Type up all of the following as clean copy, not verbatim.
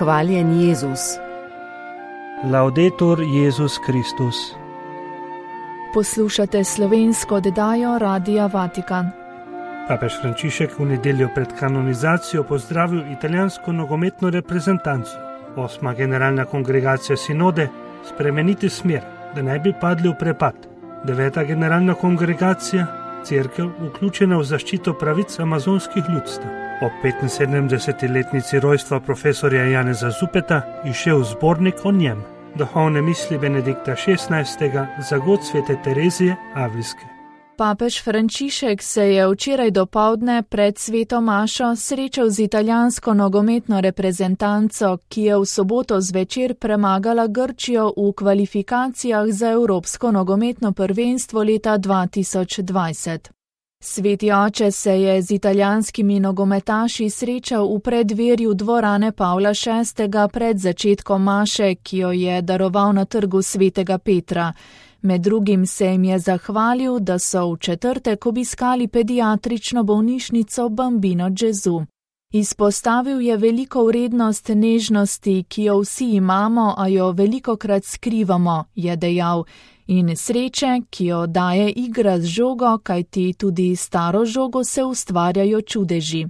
Hvaljen Jezus. Laudetur Jezus Kristus. Poslušate slovensko oddajo Radia Vatikan. Papež Frančišek v nedeljo pred kanonizacijo pozdravil italijansko nogometno reprezentanco. 8. generalna kongregacija sinode spremeniti smer, da ne bi padli v prepad. 9. generalna kongregacija, cerkev vključena v zaščito pravic amazonskih ljudstev. Ob 75-letnici rojstva profesorja Janeza Zupeta izšel zbornik o njem, duhovne misli Benedikta XVI. Za god svete Terezije Avlijske. Papež Frančišek se je včeraj dopoldne pred sveto mašo srečal z italijansko nogometno reprezentanco, ki je v soboto zvečer premagala Grčijo v kvalifikacijah za Evropsko nogometno prvenstvo leta 2020. Sveti oče se je z italijanskimi nogometaši srečal v preddverju dvorane Pavla VI. Pred začetkom maše, ki jo je daroval na trgu svetega Petra. Med drugim se jim je zahvalil, da so v četrtek obiskali pediatrično bolnišnico Bambino Gesù. Izpostavil je veliko vrednost nežnosti, ki jo vsi imamo, a jo velikokrat skrivamo, je dejal, in sreče, ki jo daje igra z žogo, kajti tudi staro žogo se ustvarjajo čudeži.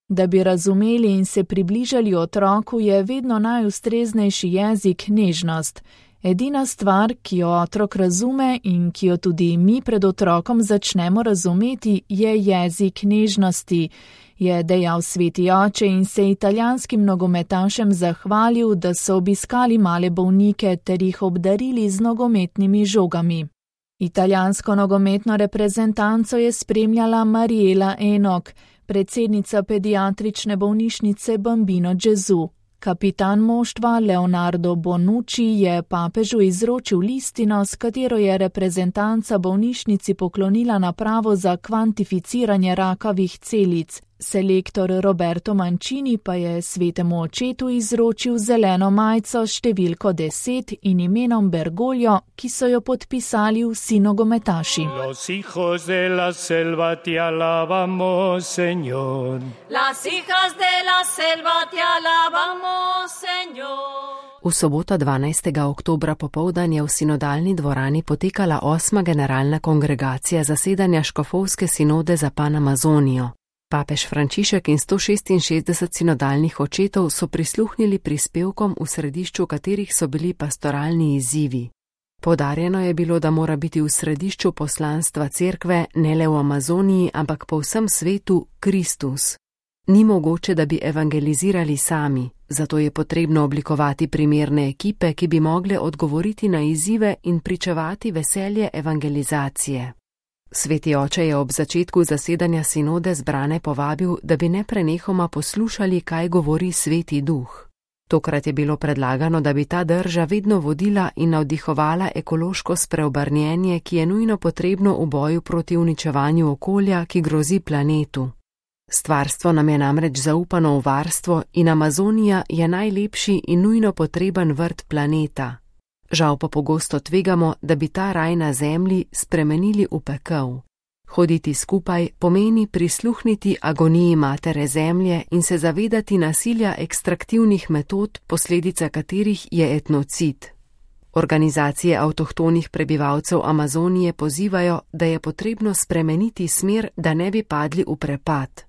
Da bi razumeli in se približali otroku, je vedno najustreznejši jezik nežnost. Edina stvar, ki jo otrok razume in ki jo tudi mi pred otrokom začnemo razumeti, je jezik nežnosti, je dejal sveti oče in se italijanskim nogometašem zahvalil, da so obiskali male bolnike ter jih obdarili z nogometnimi žogami. Italijansko nogometno reprezentanco je spremljala Mariela Enok, predsednica pediatrične bolnišnice Bambino Gesù. Kapitan moštva Leonardo Bonucci je papežu izročil listino, s katero je reprezentanca bolnišnici poklonila napravo za kvantificiranje rakavih celic. Selektor Roberto Mancini pa je svetemu očetu izročil zeleno majico s številko 10 in imenom Bergoglio, ki so jo podpisali vsi nogometaši. Los hijos de la selva te alabamos, Señor. Las hijas de la selva te alabamos, Señor. V soboto 12. oktobra popoldan je v sinodalni dvorani potekala 8. generalna kongregacija zasedanja škofovske sinode za Panamazonijo. Papež Frančišek in 166 sinodalnih očetov so prisluhnili prispevkom, v središču katerih so bili pastoralni izzivi. Poudarjeno je bilo, da mora biti v središču poslanstva cerkve ne le v Amazoniji, ampak po vsem svetu Kristus. Ni mogoče, da bi evangelizirali sami, zato je potrebno oblikovati primerne ekipe, ki bi mogle odgovoriti na izzive in pričevati veselje evangelizacije. Sveti oče je ob začetku zasedanja sinode zbrane povabil, da bi neprenehoma poslušali, kaj govori Sveti Duh. Tokrat je bilo predlagano, da bi ta drža vedno vodila in navdihovala ekološko spreobrnjenje, ki je nujno potrebno v boju proti uničevanju okolja, ki grozi planetu. Stvarstvo nam je namreč zaupano v varstvo in Amazonija je najlepši in nujno potreben vrt planeta. Žal pa pogosto tvegamo, da bi ta raj na zemlji spremenili v pekel. Hoditi skupaj pomeni prisluhniti agoniji matere zemlje in se zavedati nasilja ekstraktivnih metod, posledica katerih je etnocid. Organizacije avtohtonih prebivalcev Amazonije pozivajo, da je potrebno spremeniti smer, da ne bi padli v prepad.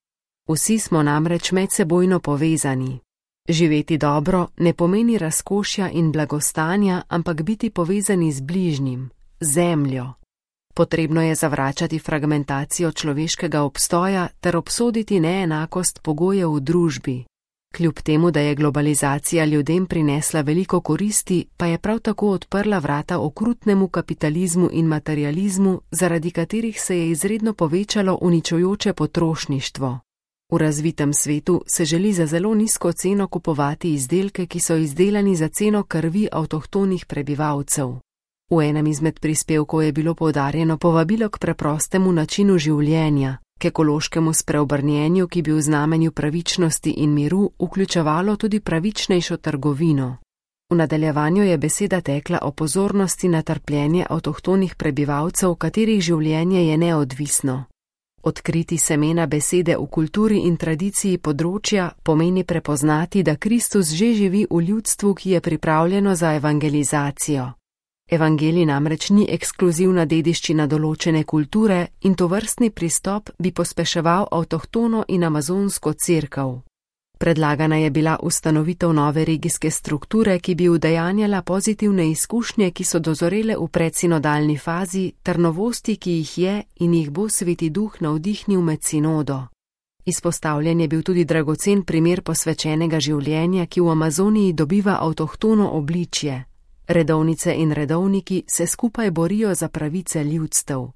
Vsi smo namreč medsebojno povezani. Živeti dobro ne pomeni razkošja in blagostanja, ampak biti povezani z bližnjim, zemljo. Potrebno je zavračati fragmentacijo človeškega obstoja ter obsoditi neenakost pogojev v družbi. Kljub temu, da je globalizacija ljudem prinesla veliko koristi, pa je prav tako odprla vrata okrutnemu kapitalizmu in materializmu, zaradi katerih se je izredno povečalo uničujoče potrošništvo. V razvitem svetu se želi za zelo nizko ceno kupovati izdelke, ki so izdelani za ceno krvi avtohtonih prebivalcev. V enem izmed prispevkov je bilo poudarjeno povabilo k preprostemu načinu življenja, k ekološkemu spreobrnjenju, ki bi v znamenju pravičnosti in miru vključevalo tudi pravičnejšo trgovino. V nadaljevanju je beseda tekla o pozornosti na trpljenje avtohtonih prebivalcev, katerih življenje je neodvisno. Odkriti semena besede v kulturi in tradiciji področja pomeni prepoznati, da Kristus že živi v ljudstvu, ki je pripravljeno za evangelizacijo. Evangelij namreč ni ekskluzivna dediščina določene kulture in tovrstni pristop bi pospeševal avtohtono in amazonsko cerkev. Predlagana je bila ustanovitev nove regijske strukture, ki bi udejanjala pozitivne izkušnje, ki so dozorele v predsinodalni fazi, ter novosti, ki jih je in jih bo Sveti Duh navdihnil med sinodo. Izpostavljen je bil tudi dragocen primer posvečenega življenja, ki v Amazoniji dobiva avtohtono obličje. Redovnice in redovniki se skupaj borijo za pravice ljudstev.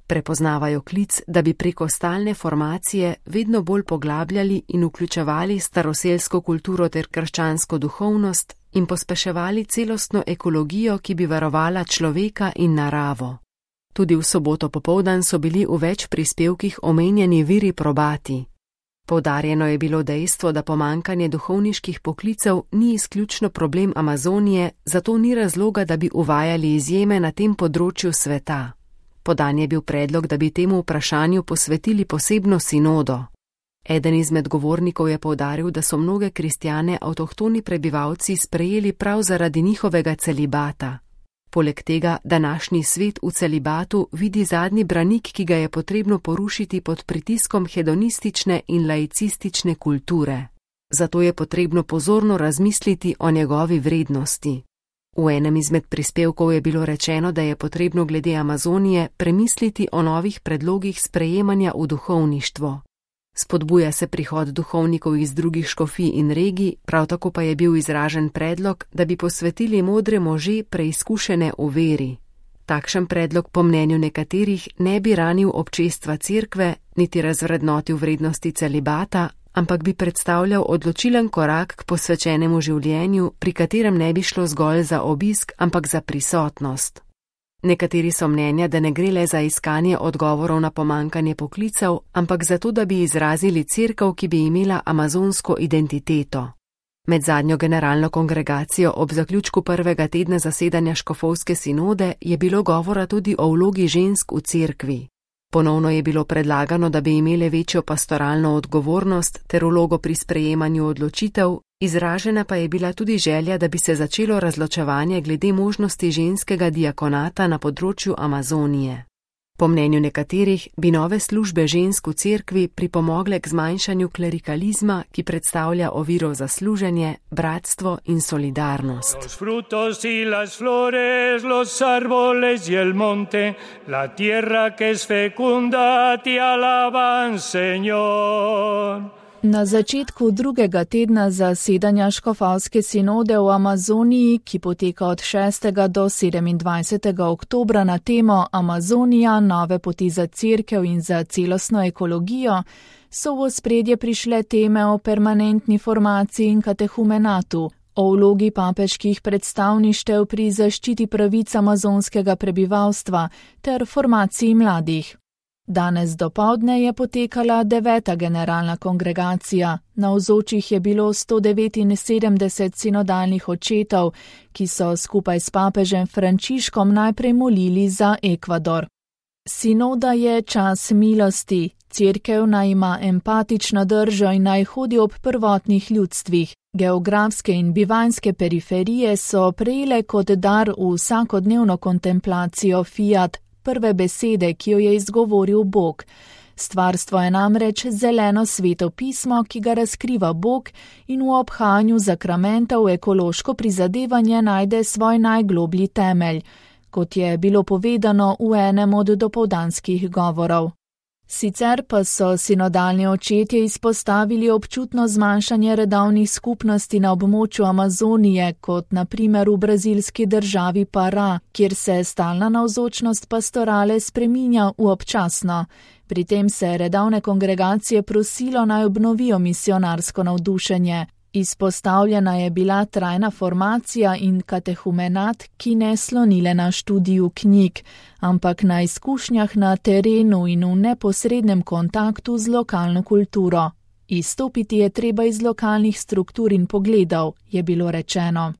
Prepoznavajo klic, da bi preko stalne formacije vedno bolj poglabljali in vključevali staroselsko kulturo ter krščansko duhovnost in pospeševali celostno ekologijo, ki bi varovala človeka in naravo. Tudi v soboto popoldan so bili v več prispevkih omenjeni viri probati. Poudarjeno je bilo dejstvo, da pomankanje duhovniških poklicev ni izključno problem Amazonije, zato ni razloga, da bi uvajali izjeme na tem področju sveta. Podan je bil predlog, da bi temu vprašanju posvetili posebno sinodo. Eden izmed govornikov je poudaril, da so mnoge kristjane avtohtoni prebivalci sprejeli prav zaradi njihovega celibata. Poleg tega, današnji svet v celibatu vidi zadnji branik, ki ga je potrebno porušiti pod pritiskom hedonistične in laicistične kulture. Zato je potrebno pozorno razmisliti o njegovi vrednosti. V enem izmed prispevkov je bilo rečeno, da je potrebno glede Amazonije premisliti o novih predlogih sprejemanja v duhovništvo. Spodbuja se prihod duhovnikov iz drugih škofij in regij, prav tako pa je bil izražen predlog, da bi posvetili modre može preizkušene v veri. Takšen predlog po mnenju nekaterih ne bi ranil občestva cerkve, niti razvrednotil vrednosti celibata, ampak bi predstavljal odločilen korak k posvečenemu življenju, pri katerem ne bi šlo zgolj za obisk, ampak za prisotnost. Nekateri so mnenja, da ne gre le za iskanje odgovorov na pomankanje poklicev, ampak zato, da bi izrazili cerkev, ki bi imela amazonsko identiteto. Med zadnjo generalno kongregacijo ob zaključku prvega tedna zasedanja škofovske sinode je bilo govora tudi o vlogi žensk v cerkvi. Ponovno je bilo predlagano, da bi imele večjo pastoralno odgovornost ter vlogo pri sprejemanju odločitev, izražena pa je bila tudi želja, da bi se začelo razločevanje glede možnosti ženskega diakonata na področju Amazonije. Po mnenju nekaterih bi nove službe žensk v cerkvi pripomogle k zmanjšanju klerikalizma, ki predstavlja oviro za služenje, bratstvo in solidarnost. Los frutos y las flores, los árboles y el monte, la tierra que es fecunda, te alaban, Señor. Na začetku drugega tedna zasedanja škofovske sinode v Amazoniji, ki poteka od 6. do 27. oktobra na temo Amazonija, nove poti za cerkev in za celostno ekologijo, so v ospredje prišle teme o permanentni formaciji in katehumenatu, o vlogi papeških predstavništev pri zaščiti pravic amazonskega prebivalstva ter formaciji mladih. Danes dopoldne je potekala 9. generalna kongregacija. Navzočih je bilo 179 sinodalnih očetov, ki so skupaj s papežem Frančiškom najprej molili za Ekvador. Sinoda je čas milosti. Cerkev naj ima empatično držo in naj hodi ob prvotnih ljudstvih. Geografske in bivanjske periferije so prejele kot dar v vsakodnevno kontemplacijo fiat, prve besede, ki jo je izgovoril Bog. Stvarstvo je namreč zeleno sveto pismo, ki ga razkriva Bog in v obhajanju zakramentov ekološko prizadevanje najde svoj najgloblji temelj, kot je bilo povedano v enem od dopoldanskih govorov. Sicer pa so sinodalni očetje izpostavili občutno zmanjšanje redovnih skupnosti na območju Amazonije, kot na primer v brazilski državi Pará, kjer se stalna navzočnost pastorale spreminja v občasno. Pri tem se redovne kongregacije prosilo naj obnovijo misionarsko navdušenje. Izpostavljena je bila trajna formacija in katehumenat, ki ne slonile na študiju knjig, ampak na izkušnjah na terenu in v neposrednem kontaktu z lokalno kulturo. Izstopiti je treba iz lokalnih struktur in pogledov, je bilo rečeno.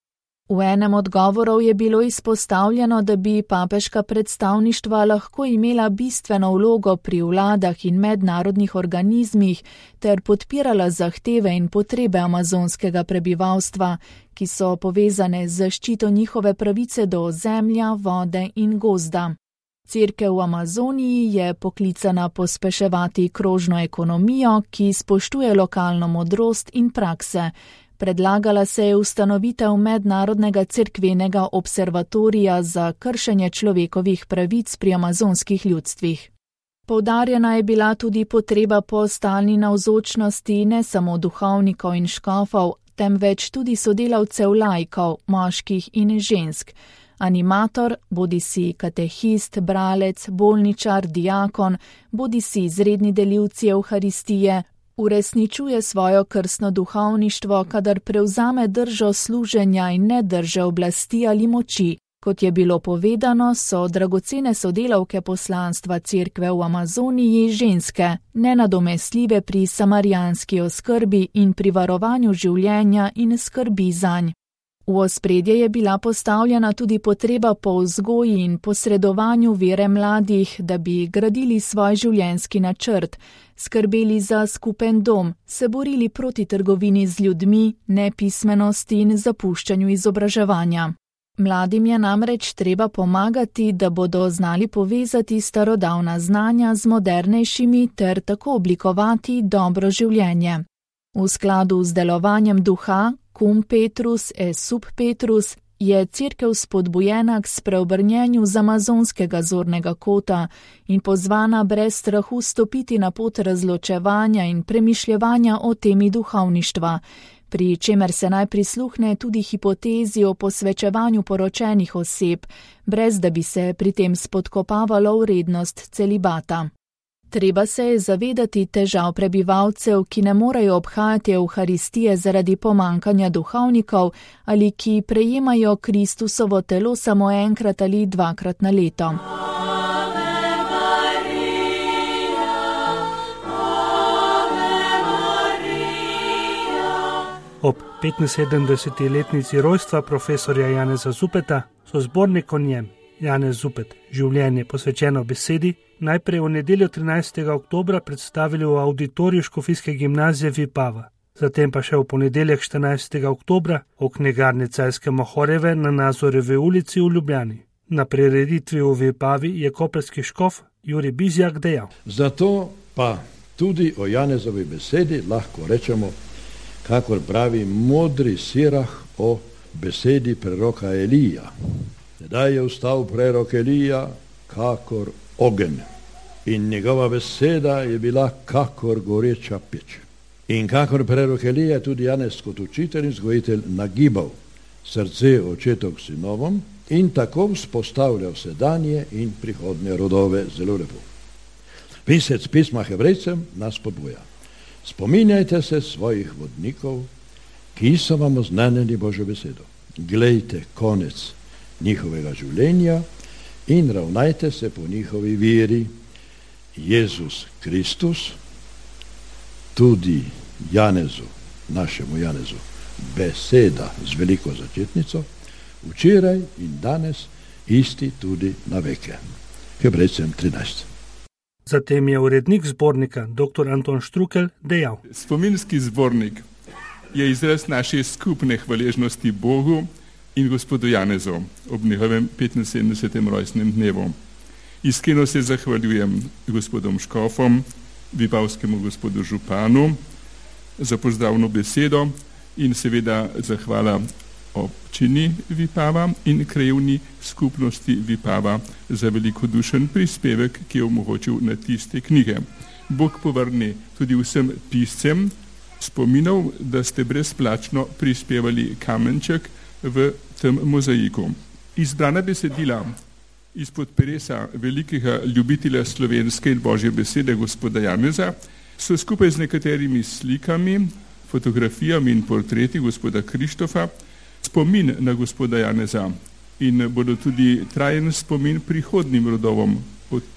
V enem od govorov je bilo izpostavljeno, da bi papeška predstavništva lahko imela bistveno vlogo pri vladah in mednarodnih organizmih ter podpirala zahteve in potrebe amazonskega prebivalstva, ki so povezane z zaščito njihove pravice do ozemlja, vode in gozda. Cerkev v Amazoniji je poklicana pospeševati krožno ekonomijo, ki spoštuje lokalno modrost in prakse. Predlagala se je ustanovitev mednarodnega cerkvenega observatorija za kršenje človekovih pravic pri amazonskih ljudstvih. Poudarjena je bila tudi potreba po stalni navzočnosti ne samo duhovnikov in škofov, temveč tudi sodelavcev laikov, moških in žensk. Animator, bodisi katehist, bralec, bolničar, diakon, bodisi izredni delivci evharistije, uresničuje svojo krstno duhovništvo, kadar prevzame držo služenja in ne drže oblasti ali moči. Kot je bilo povedano, so dragocene sodelavke poslanstva cerkve v Amazoniji ženske, nenadomestljive pri samarijanski oskrbi in pri varovanju življenja in skrbi zanj. V ospredje je bila postavljena tudi potreba po vzgoji in posredovanju vere mladih, da bi gradili svoj življenjski načrt, skrbeli za skupen dom, se borili proti trgovini z ljudmi, nepismenosti in zapuščanju izobraževanja. Mladim je namreč treba pomagati, da bodo znali povezati starodavna znanja z modernejšimi ter tako oblikovati dobro življenje. V skladu z delovanjem duha, cum Petrus et sub Petrus, je cerkev spodbujena k spreobrnjenju z amazonskega zornega kota in pozvana brez strahu stopiti na pot razločevanja in premišljevanja o temi duhovništva, pri čemer se naj prisluhne tudi hipotezi o posvečevanju poročenih oseb, brez da bi se pri tem spodkopavalo vrednost celibata. Treba se je zavedati težav prebivalcev, ki ne morejo obhajati evharistije zaradi pomankanja duhovnikov ali ki prejemajo Kristusovo telo samo enkrat ali dvakrat na leto. Ob 75-letnici rojstva profesorja Janeza Zupeta so zbornik o njem, Janez Zupet, življenje posvečeno besedi, najprej v nedeljo 13. oktobra predstavili v auditoriju Škofijske gimnazije Vipava, zatem pa še v ponedeljek 14. oktobra v knjigarni Celjske Mohorjeve na Nazorevi ulici v Ljubljani. Na prireditvi v Vipavi je koprski škof Jurij Bizjak dejal: Zato pa tudi o Janezovi besedi lahko rečemo, kakor pravi modri Sirah o besedi preroka Elija. Tedaj je vstal prerok Elija kakor ogenj in njegova beseda je bila kakor goreča peč. In kakor prerok Elija je tudi Janez kot učitelj in vzgojitelj nagibal srce očetov k sinovom in tako vzpostavljal sedanje in prihodnje rodove. Zelo lepo. Pisec pisma Hebrejcem nas podbuja: spominjajte se svojih vodnikov, ki so vam oznanili Božjo besedo. Glejte konec njihovega življenja in ravnajte se po njihovi veri. Jezus Kristus, tudi Janezu, našemu Janezu, beseda z veliko začetnico, včeraj in danes isti tudi na veke. Hebrejcem 13. Zatem je urednik zbornika, dr. Anton Štrukelj, dejal: Spominski zbornik je izraz naše skupne hvaležnosti Bogu in gospodu Janezu ob njegovem 75. rojstnem dnevu. Iskreno se zahvaljujem gospodom škofom, vipavskemu gospodu županu za pozdravno besedo in seveda zahvala občini Vipava in krajevni skupnosti Vipava za velikodušen prispevek, ki je omogočil na tiste knjige. Bog povrne tudi vsem piscem spominov, da ste brezplačno prispevali kamenček v tem mozaiku. Izbrana besedila izpod peresa velikega ljubitelja slovenske in božje besede gospoda Janeza so skupaj z nekaterimi slikami, fotografijami in portreti gospoda Krištofa spomin na gospoda Janeza in bodo tudi trajen spomin prihodnim rodovom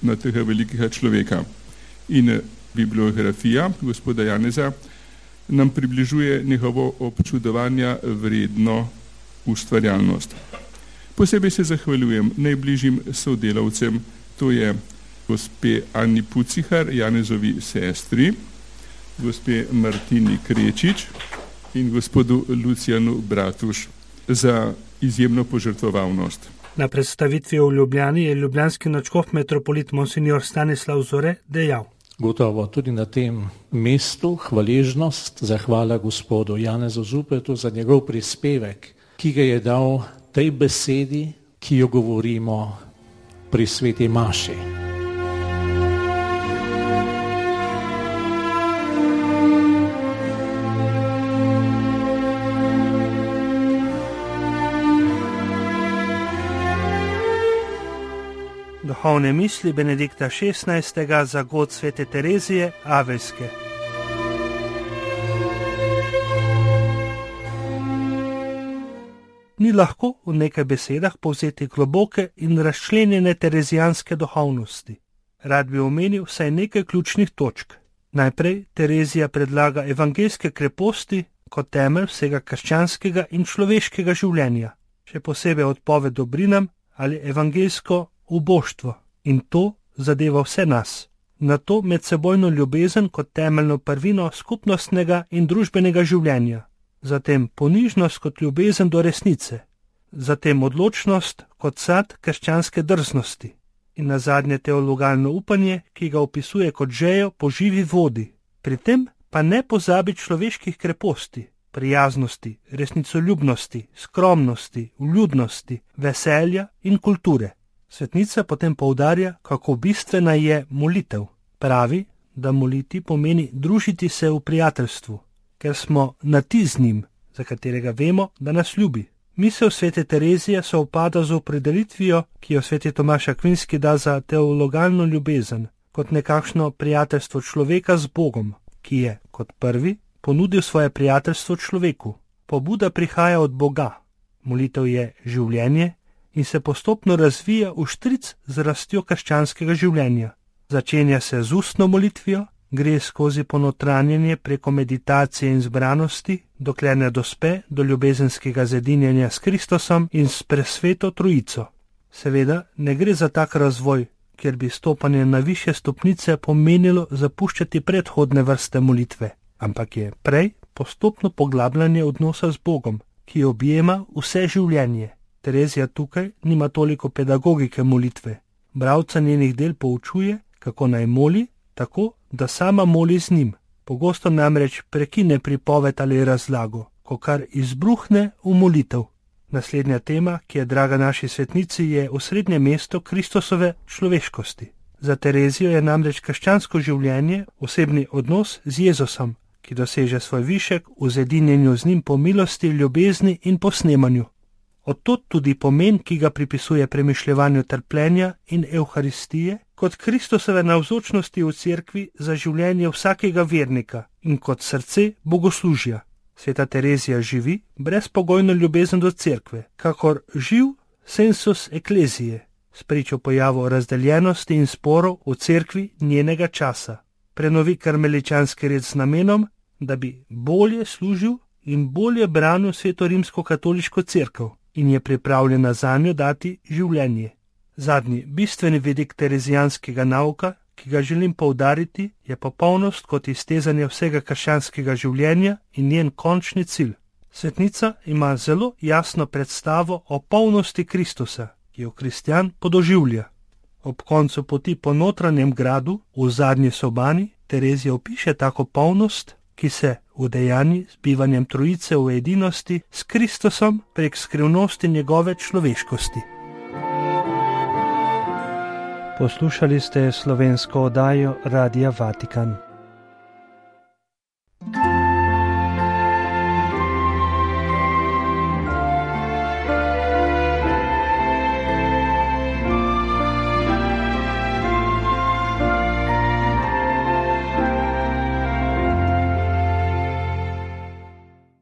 na tega velikega človeka. In bibliografija gospoda Janeza nam približuje njegovo občudovanja vredno ustvarjalnost. Posebej se zahvaljujem najbližjim sodelavcem, to je gospe Ani Pucihar, Janezovi sestri, gospe Martini Krečič in gospodu Lucijanu Bratuš za izjemno požrtvovalnost. Na predstavitvi v Ljubljani je ljubljanski nadškof metropolit monsignor Stanislav Zore dejal: Gotovo tudi na tem mestu hvaležnost, zahvala gospodu Janezu Zupetu za njegov prispevek, ki ga je dal tej besedi, ki jo govorimo pri sveti maši. Duhovne misli Benedikta XVI. Za god svete Terezije Avelske. Ni lahko v nekaj besedah povzeti globoke in razčlenjene terezijanske duhovnosti. Rad bi omenil vsaj nekaj ključnih točk. Najprej Terezija predlaga evangeljske kreposti kot temelj vsega krščanskega in človeškega življenja, še posebej odpoved dobrinam ali evangeljsko uboštvo, in to zadeva vse nas. Na to medsebojno ljubezen kot temeljno prvino skupnostnega in družbenega življenja, zatem ponižnost kot ljubezen do resnice, zatem odločnost kot sad krščanske drznosti in nazadnje teologalno upanje, ki ga opisuje kot žejo po živi vodi. Pri tem pa ne pozabi človeških kreposti, prijaznosti, resnicoljubnosti, skromnosti, vljudnosti, veselja in kulture. Svetnica potem poudarja, kako bistvena je molitev. Pravi, da moliti pomeni družiti se v prijateljstvu, ker smo na ti z njim, za katerega vemo, da nas ljubi. Misel svete Terezije sovpada z opredelitvijo, ki jo sveti Tomaž Akvinski da za teologalno ljubezen, kot nekakšno prijateljstvo človeka z Bogom, ki je, kot prvi, ponudil svoje prijateljstvo človeku. Pobuda prihaja od Boga. Molitev je življenje in se postopno razvija v štric z rastjo krščanskega življenja. Začenja se z ustno molitvijo, gre skozi ponotranjenje preko meditacije in zbranosti, dokler ne dospe do ljubezenskega zedinjenja s Kristusom in s presveto trojico. Seveda ne gre za tak razvoj, kjer bi stopanje na višje stopnice pomenilo zapuščati predhodne vrste molitve, ampak je prej postopno poglabljanje odnosa z Bogom, ki objema vse življenje. Terezija tukaj nima toliko pedagogike molitve. Bralca njenih del poučuje, kako naj moli, tako, da sama moli z njim. Pogosto namreč prekine pripoved ali razlago, ko kar izbruhne v molitev. Naslednja tema, ki je draga naši svetnici, je osrednje mesto Kristusove človeškosti. Za Terezijo je namreč krščansko življenje osebni odnos z Jezusom, ki doseže svoj višek v zedinjenju z njim po milosti, ljubezni in posnemanju. Odtod tudi pomen, ki ga pripisuje premišljevanju trpljenja in evharistije, kot Kristusove navzočnosti v cerkvi za življenje vsakega vernika in kot srce bogoslužja. Sveta Terezija živi brezpogojno ljubezen do cerkve, kakor živ sensus eklezije, spričo pojavu razdeljenosti in sporov v cerkvi njenega časa. Prenovi karmeličanski red z namenom, da bi bolje služil in bolje branil sveto rimsko-katoliško cerkev in je pripravljena zanjo dati življenje. Zadnji bistveni vidik terezijanskega nauka, ki ga želim poudariti, je popolnost kot iztezanje vsega krščanskega življenja in njen končni cilj. Svetnica ima zelo jasno predstavo o polnosti Kristusa, ki jo kristjan podoživlja. Ob koncu poti po notranjem gradu, v zadnji sobani, Terezija opiše tako polnost, ki se udejanji z bivanjem trojice v edinosti s Kristusom prek skrivnosti njegove človeškosti. Poslušali ste slovensko oddajo Radia Vatikan.